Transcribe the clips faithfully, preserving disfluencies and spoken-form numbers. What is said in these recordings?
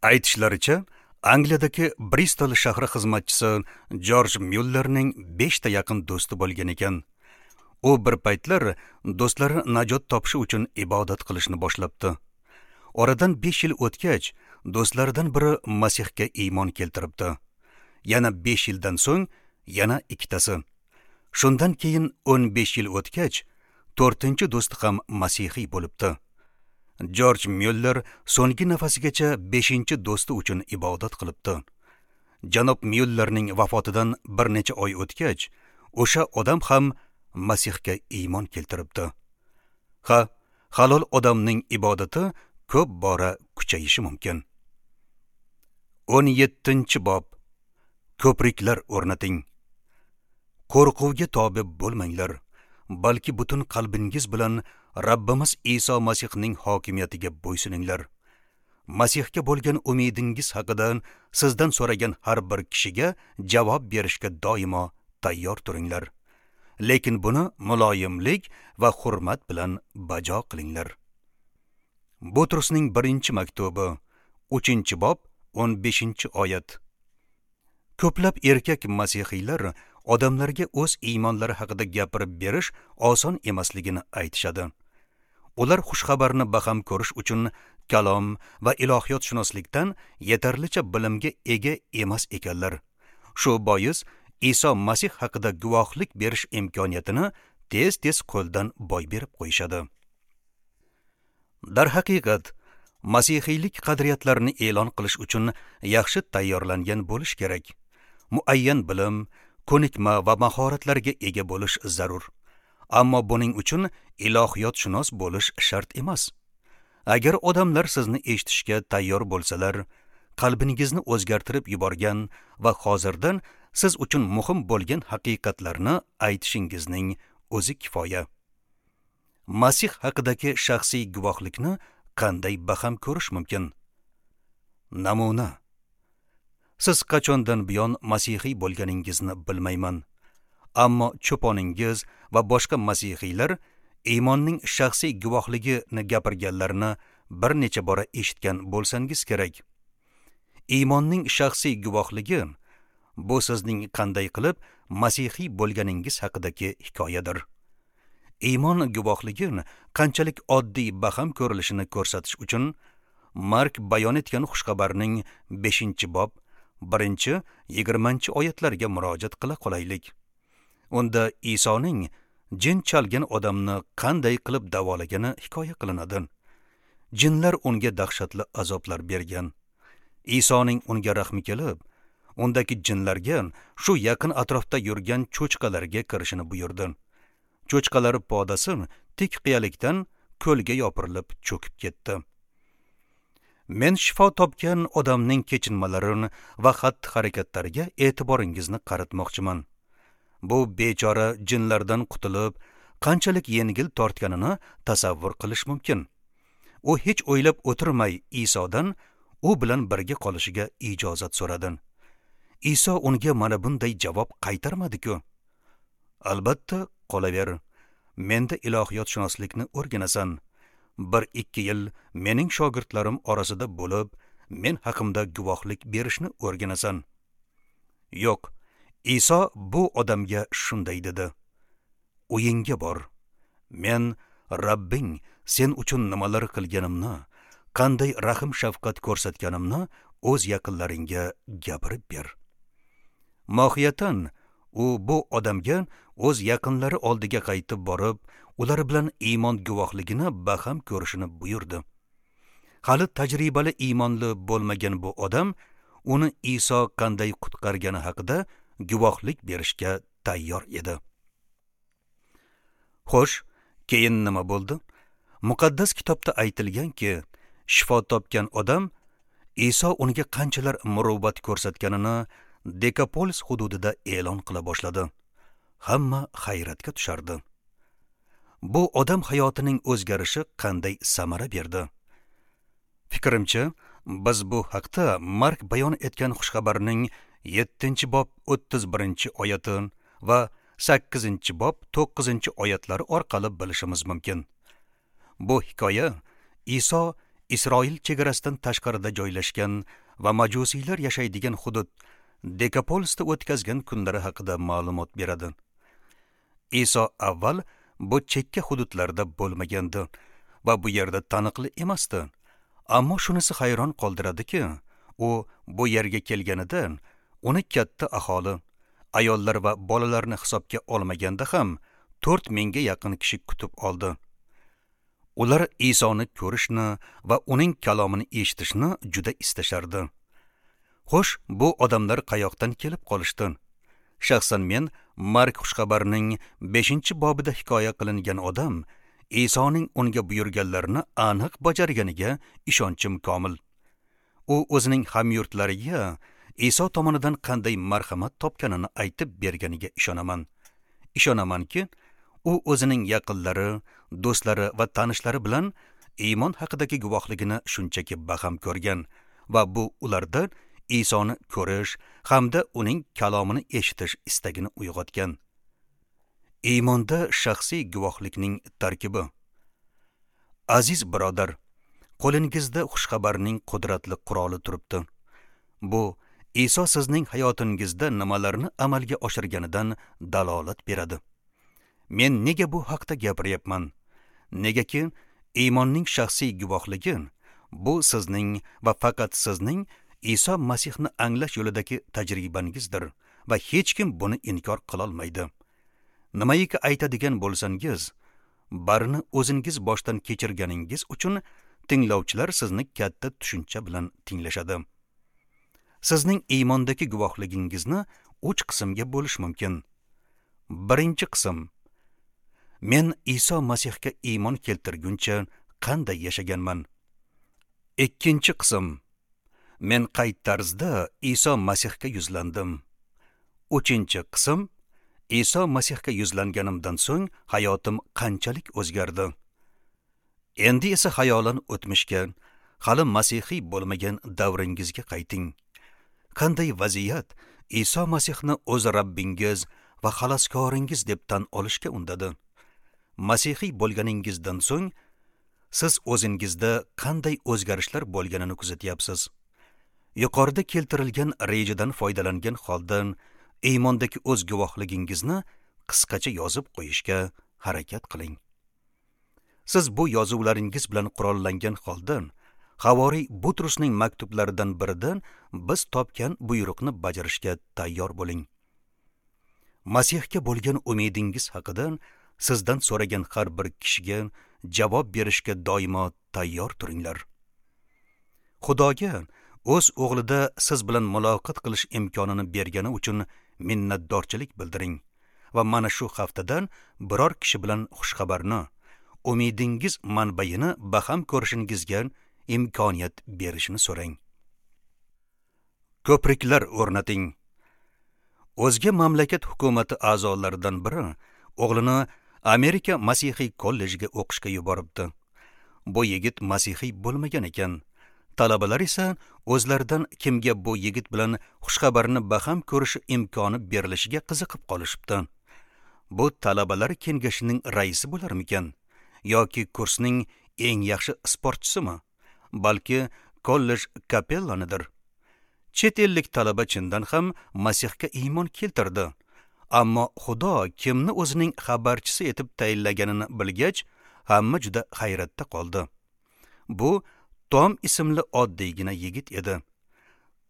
Aytishlaricha, Angliyadagi Bristol shahri xizmatchisi Jorj Myullerning besh ta yaqin do'sti bo'lgan ekan. U bir paytlar do'stlari najot topishi uchun ibodat qilishni boshlabdi. Oradan besh yil o'tgach, do'stlaridan biri Masihga iymon keltiribdi. Yana besh yildan so'ng yana ikkitasi. Shundan keyin o'n besh yil o'tgach, to'rtinchi do'sti ham masihiy bo'libdi. Jorj Myuller so'nggi nafasigacha beshinchi do'sti uchun ibodat qilibdi. Janob Myullerning vafotidan bir necha oy o'tgach, o'sha odam ham Masihga iymon keltiribdi. Ha, halol odamning ibodati ko'p bora kuchayishi mumkin. o'n yettinchi bob. Ko'priklar o'rnating. Qo'rquvga tobe bo'lmanglar, balki butun qalbingiz bilan Rabbimiz Iso Masihning hokimiyatiga bo'ysuninglar. Masihga bo'lgan umidingiz haqida sizdan so'ragan har bir kishiga javob berishga doimo tayyor turinglar. Lekin buni muloyimlik va hurmat bilan bajo qilinglar. Butrusning birinchi maktubi, uchinchi bob, o'n beshinchi oyat. Ko'plab erkak masihiylar odamlarga o'z iymonlari haqida gapirib berish oson emasligini aytishadi. Ular xushxabarni baham ko'rish uchun kalom va ilohiyotshunoslikdan yetarlicha bilimga ega emas ekanlar. Shu bois Iso Masih haqida guvohlik berish imkoniyatini tez-tez qo'ldan boy berib qo'yishadi. Darhaqiqat, masihiylik qadriyatlarini e'lon qilish uchun yaxshi tayyorlangan bo'lish kerak. Muayyan bilim, ko'nikma va mahoratlarga ega bo'lish zarur. Ammo buning uchun ilohiyotshunos bo'lish shart emas. Agar odamlar sizni eshitishga tayyor bo'lsalar, qalbingizni o'zgartirib yuborgan va hozirdan siz uchun muhim bo'lgan haqiqatlarni aytishingizning o'zi kifoya. Masih haqidagi shaxsiy guvohlikni qanday baham ko'rish mumkin? Namuna. Siz qachondan buyon masihiy bo'lganingizni bilmayman. Ammo cho'poningiz va boshqa masihiylar iymonning shaxsiy guvohligini gapirganlarini bir necha bora eshitgan bo'lsangiz kerak. Iymonning shaxsiy guvohligi bu sizning qanday qilib masihiy bo'lganingiz haqidagi hikoyadir. Iymon guvohligi qanchalik oddiy baham ko'rilishini ko'rsatish uchun Mark bayon etgan xushxabarning beshinchi bob birinchi yigirmanchi oyatlarga murojaat qila qolaylik. Unda Isoning jin chalgan odamni qanday qilib davolagani hikoya qilinadi. Jinlar unga dahshatli azoblar bergan. Isoning unga rahmi kelib, undagi jinlarga shu yaqin atrofda yurgan cho'chqalarga kirishini buyurdi. Cho'chqalar podasi tik qiyalikdan ko'lga yopirilib cho'kib ketdi. Men shifo topgan odamning kechinmalari va xatti-harakatlariga e'tiboringizni qaratmoqchiman. Bu bechora jinlardan qutulib, qanchalik yengil tortganini tasavvur qilish mumkin. U hech o'ylab o'tirmay Isodan u bilan birga qolishiga ijozat so'radi. Iso unga mana bunday javob qaytarmadi-ku. Albatta, qolaver. Menda ilohiyotshunoslikni o'rganasan. Bir ikki yil mening shogirdlarim orasida bo'lib, men haqimda guvohlik berishni o'rganasan. Yo'q, Iso bu odamga shunday dedi: Uyingga bor. Men Rabbing sen uchun nimalar qilganimni, qanday rahim shafqat ko'rsatganimni o'z yaqinlaringga gapirib ber. Mohiyatan u bu odamga o'z yaqinlari oldiga qaytib borib, ular bilan iymon guvohligini baham ko'rishini buyurdi. Hali tajribali iymonli bo'lmagan bu odam uni Iso qanday qutqargani haqida guvohlik berishga tayyor edi. Xo'sh, keyin nima bo'ldi? Muqaddas kitobda aytilganki, shifo topgan odam Iso unga qanchalar muruvvat ko'rsatganini Dekapolis hududida e'lon qila boshladi. Hamma hayratga tushardi. Bu odam hayotining o'zgarishi qanday samara berdi? Fikrimcha, biz bu haqda Mark bayon etgan xushxabarning yettinchi bob o'ttiz birinchi oyati va sakkizinchi bob to'qqizinchi oyatlari orqali bilishimiz mumkin. Bu hikoya Iso Isroil chegarasidan tashqarida joylashgan va majusiylar yashaydigan hudud Dekapolisda o'tkazgan kunlari haqida ma'lumot beradi. Iso avval bu chekka hududlarda bo'lmagandi va bu yerda taniqli emasdi. Ammo shunisi hayron qoldiradiki, u bu yerga kelganida uni katta aholi, ayollar va bolalarni hisobga olmaganda ham to'rt mingga yaqin kishi kutib oldi. Ular Isoni ko'rishni va uning kalomini eshitishni juda istashardi. Xo'sh, bu odamlar qayoqdan kelib qolishdi? Shaxsan men Mark xushxabarining beshinchi bobida hikoya qilingan odam Isoning unga buyurganlarini aniq bajarganiga ishonchim komil. U o'zining hamyurtlariga Iso tomonidan qanday marhamat topganini aytib berganiga ishonaman. Ishonamanki, u o'zining yaqinlari, do'stlari va tanishlari bilan iymon haqidagi guvohligini shunchaki baham ko'rgan va bu ularda Isoni ko'rish hamda uning kalomini eshitish istagini uyg'otgan. Iymonda shaxsiy guvohlikning tarkibi. Aziz birodar, qo'lingizda xushxabarning qudratli quroli turibdi. Bu Iso sizning hayotingizda nimalarni amalga oshirganidan dalolat beradi. Men nega bu haqda gapiryapman? Negaki iymonning shaxsiy guvohligi bu sizning va faqat sizning Iso Masihni anglash yo'lidagi tajribangizdir va hech kim buni inkor qila olmaydi. Nimaiki aytadigan bo'lsangiz, barini o'zingiz boshdan kechirganingiz uchun tinglovchilar sizni katta tushuncha bilan tinglashadi. Sizning iymondagi guvohligingizni uch qismga bo'lish mumkin. Birinchi qism: men Iso Masihga iymon keltirguncha qanday yashaganman? Ikkinchi qism: men qay tarzda Iso Masihga yuzlandim? Uchinchi qism: Iso Masihga yuzlanganimdan so'ng hayotim qanchalik o'zgardi? Endi esa xayolan o'tmishga, hali masihiy bo'lmagan davringizga qayting. Qanday vaziyat Iso Masihni o'z Rabbingiz va xaloskoringiz deb tan olishga undadi? Masihiy bo'lganingizdan so'ng siz o'zingizda qanday o'zgarishlar bo'lganini kuzatyapsiz? Yuqorida keltirilgan rejadan foydalangan holda iymondagi o'z guvohligingizni qisqacha yozib qo'yishga harakat qiling. Siz bu yozuvlaringiz bilan qurollangan holda Havoriy Butrusning maktublaridan biridan biz topgan buyruqni bajarishga tayyor bo'ling. Masihga bo'lgan umidingiz haqida sizdan so'ragan har bir kishiga javob berishga doimo tayyor turinglar. Xudoga o'z o'g'lida siz bilan muloqot qilish imkonini bergani uchun minnatdorchilik bildiring va mana shu haftadan biror kishi bilan xushxabarni, umidingiz manbayini baham ko'rishingizga imkoniyat berishini so'rang. Ko'priklar o'rnating. O'zga mamlakat hukumati a'zolaridan biri o'g'lini Amerika Masihiy kollejiga o'qishga yuboribdi. Bu yigit masihiy bo'lmagan ekan. Talabalar esa o'zlaridan kimga bu yigit bilan xushxabarni baham ko'rish imkoni berilishiga qiziqib qolishibdi. Bu talabalar kengashining raisi bo'larmikan yoki kursning eng yaxshi sportchisimi? Balki kollej kapellanidir. Chet ellik talaba chindan ham Masihga iymon keltirdi. Ammo Xudo kimni o'zining xabarchisi etib tayinlaganini bilgach, hamma juda hayratda qoldi. Bu Tom ismli oddiygina yigit edi.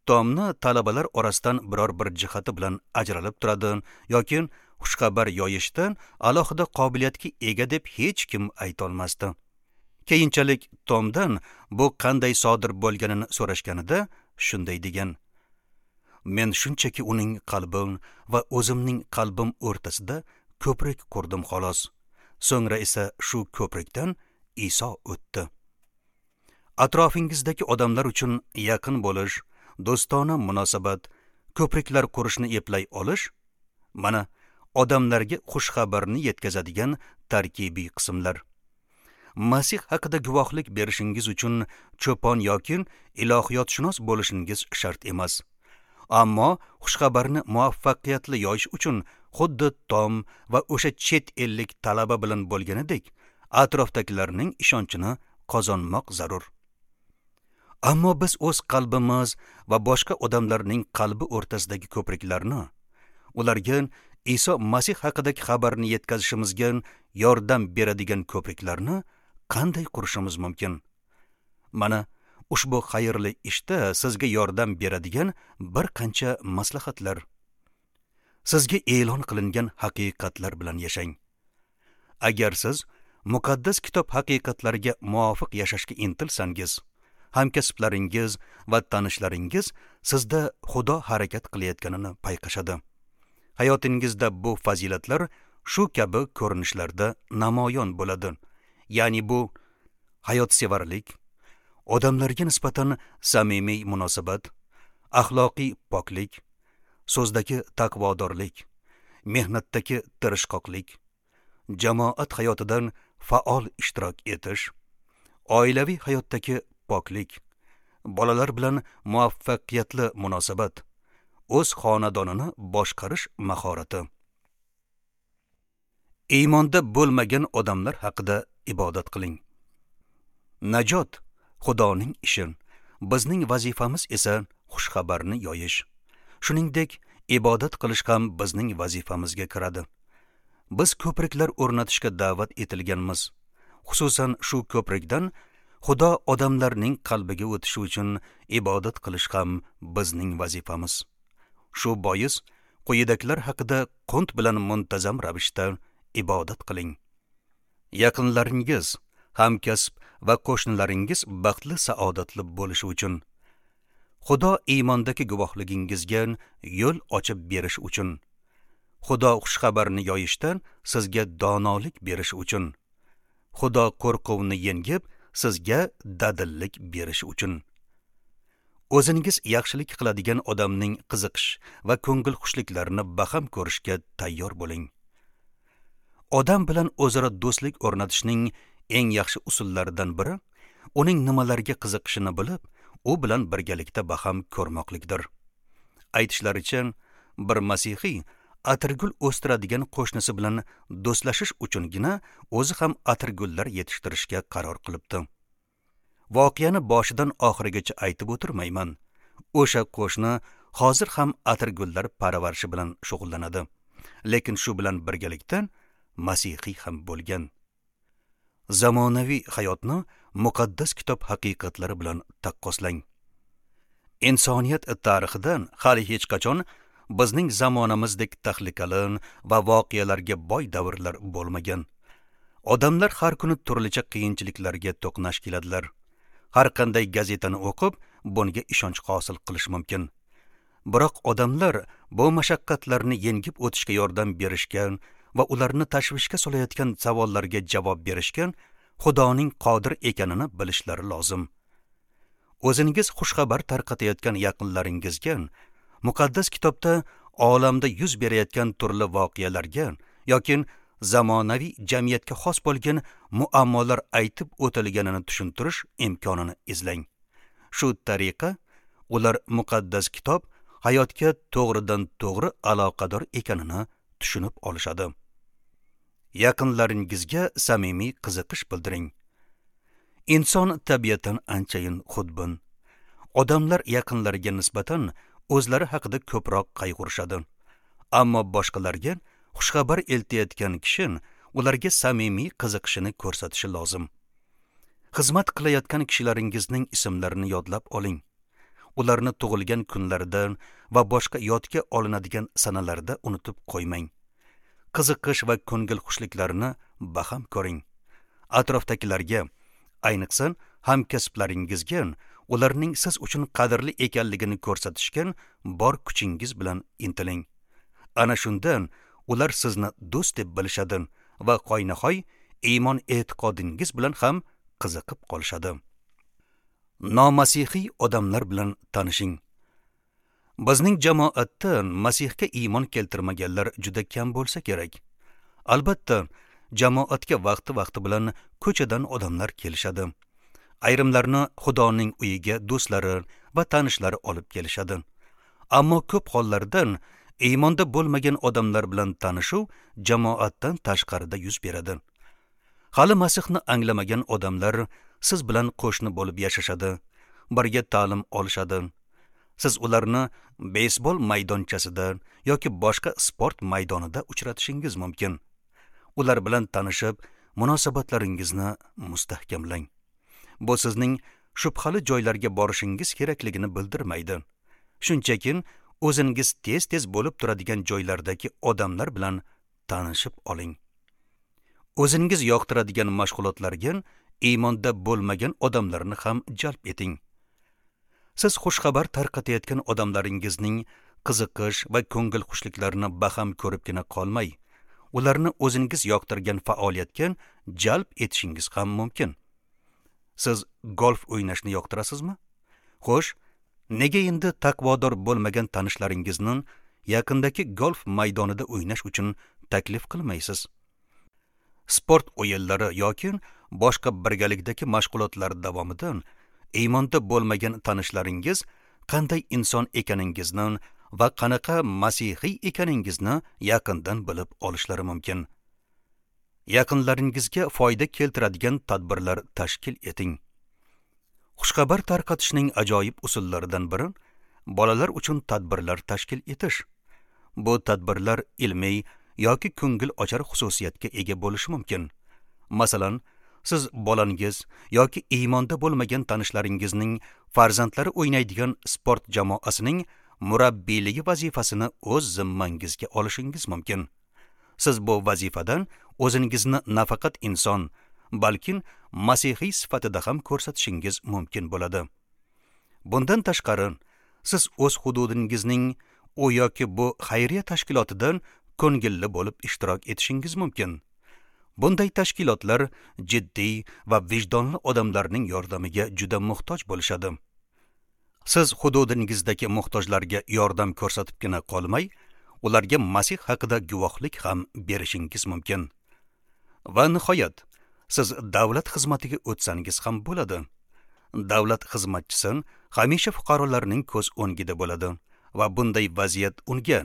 Tomni talabalar orasidan biror bir jihati bilan ajralib turadi yoki xushxabar yoyishdan alohida qobiliyatga ega deb hech kim ayta olmasdi. Keyinchalik Tomdan bu qanday sodir bo'lganini so'rashganida shunday degan: Men shunchaki uning qalbim va o'zimning qalbim o'rtasida ko'prik qurdim xolos. So'ngra esa shu ko'prikdan Iso o'tdi. Atrofingizdagi odamlar uchun yaqin bo'lish, do'stona munosabat, ko'priklar qurishni eplay olish mana odamlarga xushxabarni yetkazadigan tarkibiy qismlar. Masih haqida guvohlik berishingiz uchun cho'pon yoki ilohiyotshunos bo'lishingiz shart emas. Ammo xushxabarni muvaffaqiyatli yoyish uchun xuddi Tom va o'sha chet ellik talaba bilan bo'lganidek atrofdagilarning ishonchini qozonmoq zarur. Ammo biz o'z qalbimiz va boshqa odamlarning qalbi o'rtasidagi ko'priklarni, ularga Iso Masih haqidagi xabarni yetkazishimizga yordam beradigan ko'priklarni qanday qurishimiz mumkin? Mana ushbu xayrli ishda sizga yordam beradigan bir qancha maslahatlar. Sizga e'lon qilingan haqiqatlar bilan yashang. Agar siz muqaddas kitob haqiqatlariga muvofiq yashashga intilsangiz, hamkasblaringiz va tanishlaringiz sizda Xudo harakat qilayotganini payqashadi. Hayotingizda bu fazilatlar shu kabi ko'rinishlarda namoyon bo'ladi. Ya'ni bu hayotsevarlik, odamlarga nisbatan samimiy munosabat, axloqiy poklik, so'zdagi taqvodorlik, mehnatdagi tirishqoqlik, jamoat hayotidan faol ishtirok etish, oilaviy hayotdagi poklik, bolalar bilan muvaffaqiyatli munosabat, o'z xonadonini boshqarish mahorati. Iymonda bo'lmagan odamlar haqida ibodat qiling. Najot Xudoning ishi, bizning vazifamiz esa xushxabarni yoyish. Shuningdek, ibodat qilish ham bizning vazifamizga kiradi. Biz ko'priklar o'rnatishga da'vat etilganmiz. Xususan shu ko'prikdan Xudo odamlarning qalbiga o'tishi uchun ibodat qilish ham bizning vazifamiz. Shu bois quyidagilar haqida qunt bilan muntazam ravishda ibodat qiling. Yaqinlaringiz, hamkasb va qo'shnilaringiz baxtli saodatli bo'lishi uchun, Xudo iymondagi guvohligingizga yo'l ochib berish uchun, Xudo xushxabarni yoyishdan sizga donolik berish uchun, Xudo qo'rquvni yengib sizga dadillik berish uchun. O'zingiz yaxshilik qiladigan odamning qiziqish va ko'ngil xushliklarini baham ko'rishga tayyor bo'ling. Odam bilan o'zaro do'stlik o'rnatishning eng yaxshi usullaridan biri uning nimalarga qiziqishini bilib, u bilan birgalikda baham ko'rmoqlikdir. Aytishlaricha, bir masihiy atirgul o'stiradigan qo'shnisi bilan do'stlashish uchungina o'zi ham atirgullar yetishtirishga qaror qilibdi. Voqeani boshidan oxirigacha aytib o'tirmayman. O'sha qo'shni hozir ham atirgullar parvarishi bilan shug'ullanadi. Lekin shu bilan birgalikda masihiy ham bo'lgan. Zamonaviy hayotni muqaddas kitob haqiqatlari bilan taqqoslang. Insoniyat tarixidan hali hech qachon bizning zamonamizdek tahlikali va voqealarga boy davrlar bo'lmagan. Odamlar har kuni turlicha qiyinchiliklarga to'qnash keladilar. Har qanday gazetani o'qib, bunga ishonch hosil qilish mumkin. Biroq odamlar bu mashaqqatlarni yengib o'tishga yordam berishgan va ularni tashvishga solayotgan savollarga javob berishgan Xudoning qodir ekanini bilishlari lozim. O'zingiz xushxabar tarqatayotgan yaqinlaringizga muqaddas kitobda olamda yuz berayotgan turli voqealarga yoki zamonaviy jamiyatga xos bo'lgan muammolar aytib o'tilganini tushuntirish imkonini izlang. Shu tariqa ular muqaddas kitob hayotga to'g'ridan to'g'ri aloqador ekanini tushunib olishadi. Yaqinlaringizga samimiy qiziqish bildiring. Inson tabiatan anchayin xudbin. Odamlar yaqinlariga nisbatan o'zlari haqida ko'proq qayg'urishadi. Ammo boshqalarga xushxabar eltayotgan kishi ularga samimiy qiziqishini ko'rsatishi lozim. Xizmat qilayotgan kishilaringizning ismlarini yodlab oling. Ularni tug'ilgan kunlarida va boshqa yodga olinadigan sanalarda unutib qo'ymang. Qiziqish va ko'ngil xushliklarini baham ko'ring. Atrofdagilarga, ayniqsa hamkasblaringizga ularning siz uchun qadrli ekanligini ko'rsatishga bor kuchingiz bilan intiling. Ana shundan ular sizni do'st deb bilishadi va hoynahoy iymon e'tiqodingiz bilan ham qiziqib qolishadi. Nomasihiy odamlar bilan tanishing. Bizning jamoatda Masihga iymon keltirmaganlar juda kam bo'lsa kerak. Albatta, jamoatga vaqti-vaqti bilan ko'chadan odamlar kelishadi. Ayrimlarni Xudoning uyiga do'stlari va tanishlari olib kelishadi. Ammo ko'p hollarda iymonda bo'lmagan odamlar bilan tanishuv jamoatdan tashqarida yuz beradi. Hali Masihni anglamagan odamlar siz bilan qo'shni bo'lib yashashadi birga ta'lim olishadi. Siz ularni beysbol maydonchasida yoki boshqa sport maydonida uchratishingiz mumkin. Ular bilan tanishib, munosabatlaringizni mustahkamlang. Bu sizning shubhali joylarga borishingiz kerakligini bildirmaydi. Shunchaki o'zingiz tez-tez bo'lib turadigan joylardagi odamlar bilan tanishib oling. O'zingiz yoqtiradigan mashg'ulotlarga iymonda bo'lmagan odamlarni ham jalb eting. Siz xushxabar tarqatayotgan odamlaringizning qiziqish va ko'ngil xushliklarini baham ko'ribgina qolmay, ularni o'zingiz yoqtirgan faoliyatga jalb etishingiz ham mumkin. Siz golf o'ynashni yoqtirasizmi? Xo'sh, nega endi taqvodor bo'lmagan tanishlaringizni yaqindagi golf maydonida o'ynash uchun taklif qilmaysiz? Sport o'yinlari yoki boshqa birgalikdagi mashg'ulotlar davomida iymonda bo'lmagan tanishlaringiz qanday inson ekaningizni va qanaqa masihiy ekaningizni yaqindan bilib olishlari mumkin. Yaqinlaringizga foyda keltiradigan tadbirlar tashkil eting. Xushxabar tarqatishning ajoyib usullaridan biri bolalar uchun tadbirlar tashkil etish. Bu tadbirlar ilmiy yoki ko'ngil ochar xususiyatga ega bo'lishi mumkin. Masalan, siz bolangiz yoki iymonda bo'lmagan tanishlaringizning farzandlari o'ynaydigan sport jamoasining murabbiyligi vazifasini o'z zimmangizga olishingiz mumkin. Siz bu vazifadan o'zingizni nafaqat inson, balki masihiy sifatida ham ko'rsatishingiz mumkin bo'ladi. Bundan tashqari, siz o'z hududingizning u yoki bu xayriya tashkilotidan ko'ngilli bo'lib ishtirok etishingiz mumkin. Bunday tashkilotlar jiddiy va vijdonli odamlarning yordamiga juda muhtoj bo'lishadi. Siz hududingizdagi muhtojlarga yordam ko'rsatibgina qolmay, ularga Masih haqida guvohlik ham berishingiz mumkin. Va nihoyat, siz davlat xizmatiga o'tsangiz ham bo'ladi. Davlat xizmatchisi hamisha fuqarolarning ko'z o'ngida bo'ladi va bunday vaziyat unga,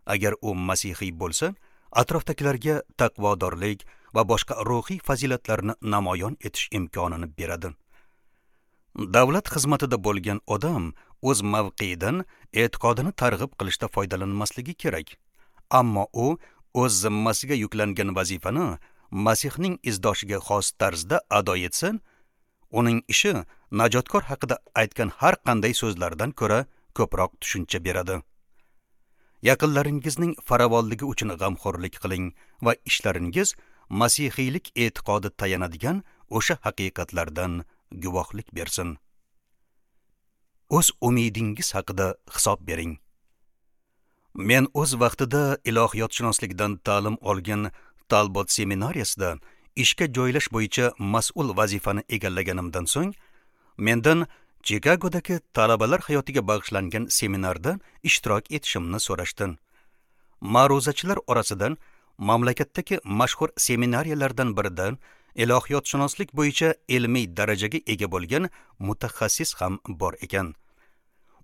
agar u masihiy bo'lsa, atrofdagilarga taqvodorlik va boshqa ruhiy fazilatlarni namoyon etish imkonini beradi. Davlat xizmatida bo'lgan odam o'z mavqeidan e'tiqodini targ'ib qilishda foydalanmasligi kerak. Ammo u o'z zimmasiga yuklangan vazifani Masihning izdoshiga xos tarzda ado etsa, uning ishi najotkor haqida aytgan har qanday so'zlardan ko'ra ko'proq tushuncha beradi. Yaqinlaringizning farovonligi uchun g'amxo'rlik qiling va ishlaringiz masihiylik e'tiqodi tayanadigan o'sha haqiqatlardan guvohlik bersin. O'z umidingiz haqida hisob bering. Men o'z vaqtida ilohiyotshunoslikdan ta'lim olgan Talbot seminariyasida ishga joylash bo'yicha mas'ul vazifani egallaganimdan so'ng, mendan Chikagodagi talabalar hayotiga bag'ishlangan seminarda ishtirok etishimni so'rashdi. Ma'ruzachilar orasidan mamlakatdagi mashhur seminariyalardan birida ilohiyotshunoslik bo'yicha ilmiy darajaga ega bo'lgan mutaxassis ham bor ekan.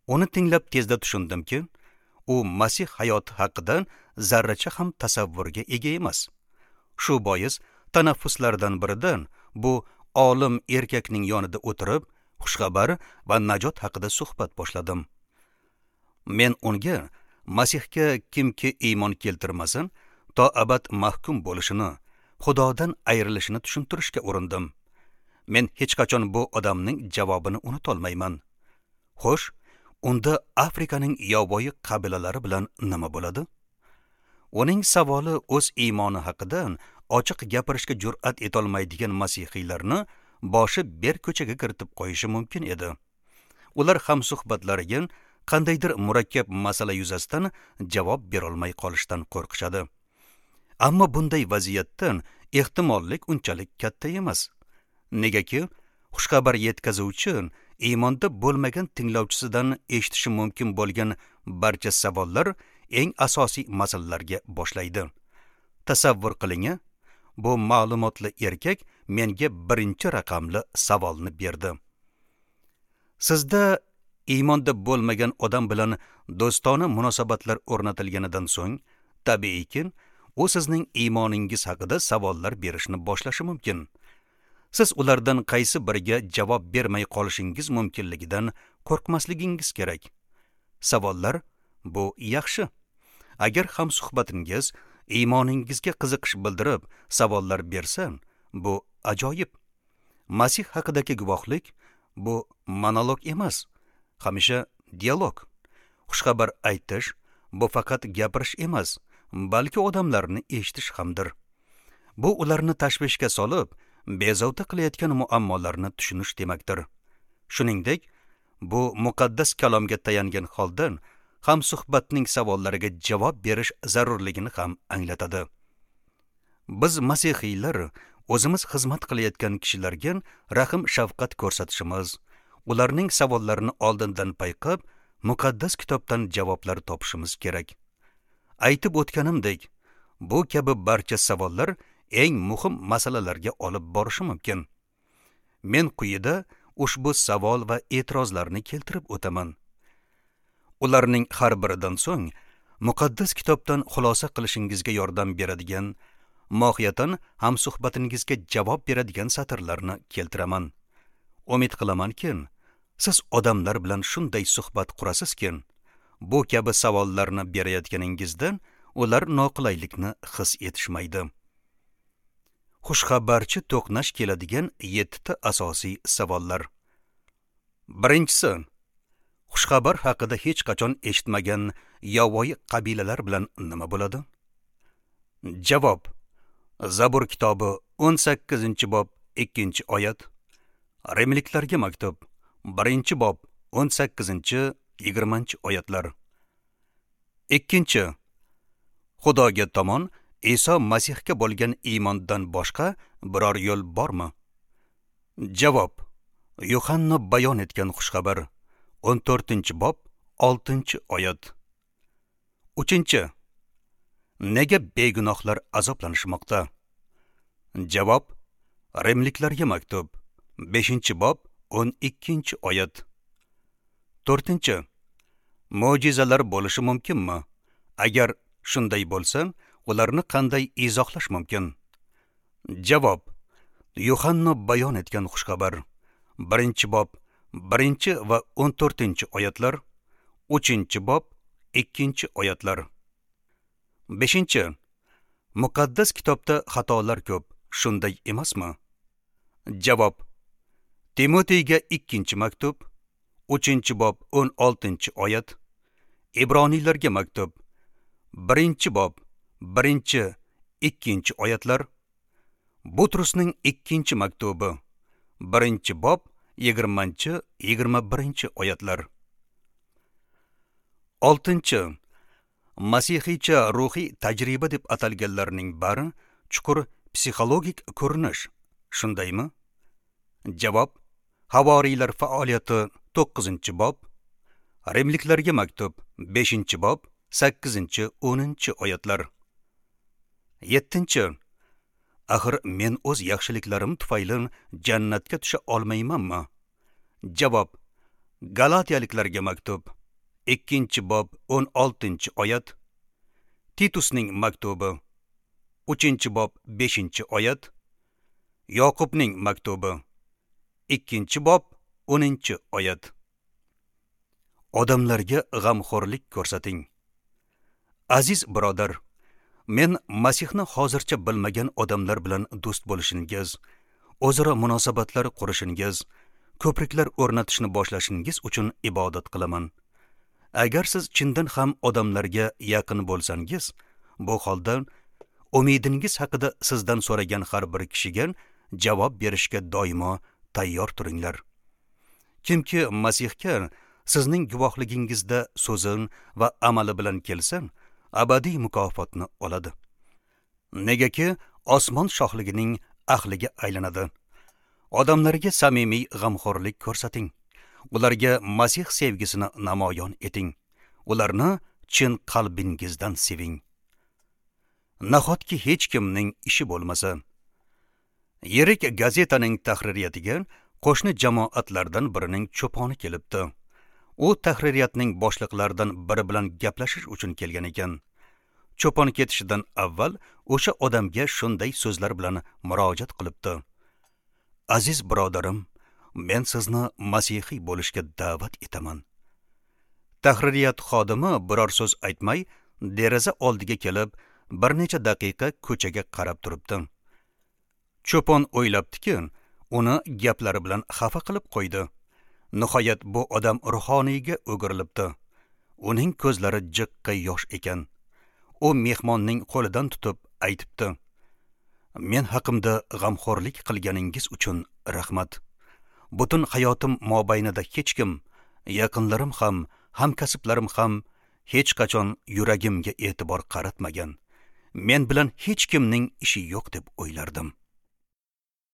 Uni tinglab tezda tushundimki, u Masih hayoti haqida zarracha ham tasavvurga ega emas. Shu bois tanaffuslardan biridan bu olim erkakning yonida o'tirib, xushxabar va najot haqida suhbat boshladim. Men unga Masihga kimki iymon keltirmasin, to abad mahkum bo'lishini, Xudodan ayrilishini tushuntirishga urindim. Men hech qachon bu odamning javobini unutolmayman. Xo'sh, unda Afrikaning yovvoyi qabilalari bilan nima bo'ladi? Uning savoli o'z iymoni haqida ochiq gapirishga jur'at etolmaydigan masihiylarni boshi ber ko'chaga kiritib qo'yishi mumkin edi. Ular ham suhbatlariga qandaydir murakkab masala yuzasidan javob berolmay qolishdan qo'rqishadi. Ammo bunday vaziyatdan ehtimollik unchalik katta emas. Negaki, xushxabar yetkazuvchi iymonda bo'lmagan tinglovchisidan eshitishi mumkin bo'lgan barcha savollar eng asosiy masalalarga boshlaydi. Tasavvur qiling, bu ma'lumotli erkak menga birinchi raqamli savolni berdi. Sizda iymonda bo'lmagan odam bilan do'stona munosabatlar o'rnatilganidan so'ng, tabiiyki, u sizning iymoningiz haqida savollar berishni boshlashi mumkin. Siz ulardan qaysi biriga javob bermay qolishingiz mumkinligidan qo'rqmasligingiz kerak. Savollar bu yaxshi. Agar hamsuhbatingiz iymoningizga qiziqish bildirib savollar bersa, bu ajoyib. Masih haqidagi guvohlik bu monolog emas, hamisha dialog. Xushxabar aytish bu faqat gapirish emas, balki odamlarni eshitish hamdir. Bu ularni tashvishga solib, bezovta qilayotgan muammolarni tushunish demakdir. Shuningdek, bu muqaddas kalomga tayangan holda hamsuhbatning savollariga javob berish zarurligini ham anglatadi. Biz masihiylar o'zimiz xizmat qilayotgan kishilarga rahm shafqat ko'rsatishimiz, ularning savollarini oldindan payqab, muqaddas kitobdan javoblar topishimiz kerak. Aytib o'tganimdek, bu kabi barcha savollar eng muhim masalalarga olib borishi mumkin. Men quyida ushbu savol va e'tirozlarni keltirib o'taman. Ularning har biridan so'ng muqaddas kitobdan xulosa qilishingizga yordam beradigan, mohiyatan hamsuhbatingizga javob beradigan satrlarni keltiraman. Umid qilamanki, siz odamlar bilan shunday suhbat qurasizki, bu kabi savollarni berayotganingizda ular noqulaylikni his etishmaydi. Xushxabarchi to'qnash keladigan yettita asosiy savollar. Birinchisi, xushxabar haqida hech qachon eshitmagan yovvoyi qabilalar bilan nima bo'ladi? Javob: Zabur kitobi o'n sakkizinchi bob ikkinchi oyat, Rimliklarga maktub birinchi bob o'n sakkizinchi yigirmanchi oyatlar. Ikkinchi, Xudoga tomon Iso Masihga bo'lgan iymondan boshqa biror yo'l bormi? Javob: Yuhanna bayon etgan xushxabar o'n to'rtinchi bob oltinchi oyat. Uchinchi, nega begunohlar azoblanishmoqda? Javob: Rimliklarga maktub beshinchi bob o'n ikkinchi oyat. To'rtinchi, mo'jizalar bo'lishi mumkinmi? Agar shunday bo'lsa, ularni qanday izohlash mumkin? Javob: Yuhanna bayon etgan xushxabar birinchi bob birinchi va o'n to'rtinchi oyatlar, uchinchi bob ikkinchi oyatlar. Beshinchi, muqaddas kitobda xatolar ko'p, shunday emasmi? Javob: Timoteyga ikkinchi maktub uchinchi bob o'n oltinchi oyat, Ibroniylarga maktub birinchi bob birinchi ikkinchi oyatlar, Butrusning ikkinchi maktubi birinchi bob yigirmanchi yigirma birinchi oyatlar. Oltinchi, masihiycha ruhiy tajriba deb atalganlarning bari chuqur psixologik ko'rinish, shundaymi? Javob: Havoriylar faoliyati to'qqizinchi bob, Rimliklarga maktub beshinchi bob sakkizinchi o'ninchi oyatlar. Yettinchi, axir men o'z yaxshiliklarim tufayli jannatga tusha olmaymanmi? Javob: Galatiyaliklarga maktub ikkinchi bob o'n oltinchi oyat, Titusning maktubi uchinchi bob beshinchi oyat, Yoqubning maktubi ikkinchi bob o'ninchi oyat. Odamlarga g'amxo'rlik ko'rsating. Aziz birodar, men Masihni hozircha bilmagan odamlar bilan do'st bo'lishingiz, o'zaro munosabatlar qurishingiz, ko'priklar o'rnatishni boshlashingiz uchun ibodat qilaman. Agar siz chindan ham odamlarga yaqin bo'lsangiz, bu holda umidingiz haqida sizdan so'ragan har bir kishiga javob berishga doimo tayyor turinglar. Kimki Masihga sizning guvohligingizda so'zin va amali bilan kelsa, abadiy mukofotni oladi. Negaki osmon shohligining ahliga aylanadi. Odamlarga samimiy g'amxo'rlik ko'rsating. Ularga Masih sevgisini namoyon eting. Ularni chin qalbingizdan seving. Nahotki hech kimning ishi bo'lmasa? Yirik gazetaning tahririyatiga qo'shni jamoatlardan birining cho'poni kelibdi. U tahririyatning boshliqlaridan biri bilan gaplashish uchun kelgan ekan. Cho'pon ketishidan avval o'sha odamga shunday so'zlar bilan murojaat qilibdi. Aziz birodarim, men sizni masihiy bo'lishga da'vat etaman. Tahririyat xodimi biror so'z aytmay, deraza oldiga kelib, bir necha daqiqa ko'chaga qarab turibdi. Cho'pon o'ylabdiki, uni gaplari bilan xafa qilib qo'ydi. Nihoyat bu odam ruhoniyga o'girilibdi. Uning ko'zlari jiqqa yosh ekan. U mehmonning qo'lidan tutib aytibdi: Men haqimda g'amxo'rlik qilganingiz uchun rahmat. Butun hayotim mobaynida hech kim, yaqinlarim ham, hamkasblarim ham hech qachon yuragimga e'tibor qaratmagan. Men bilan hech kimning ishi yo'q deb o'ylardim.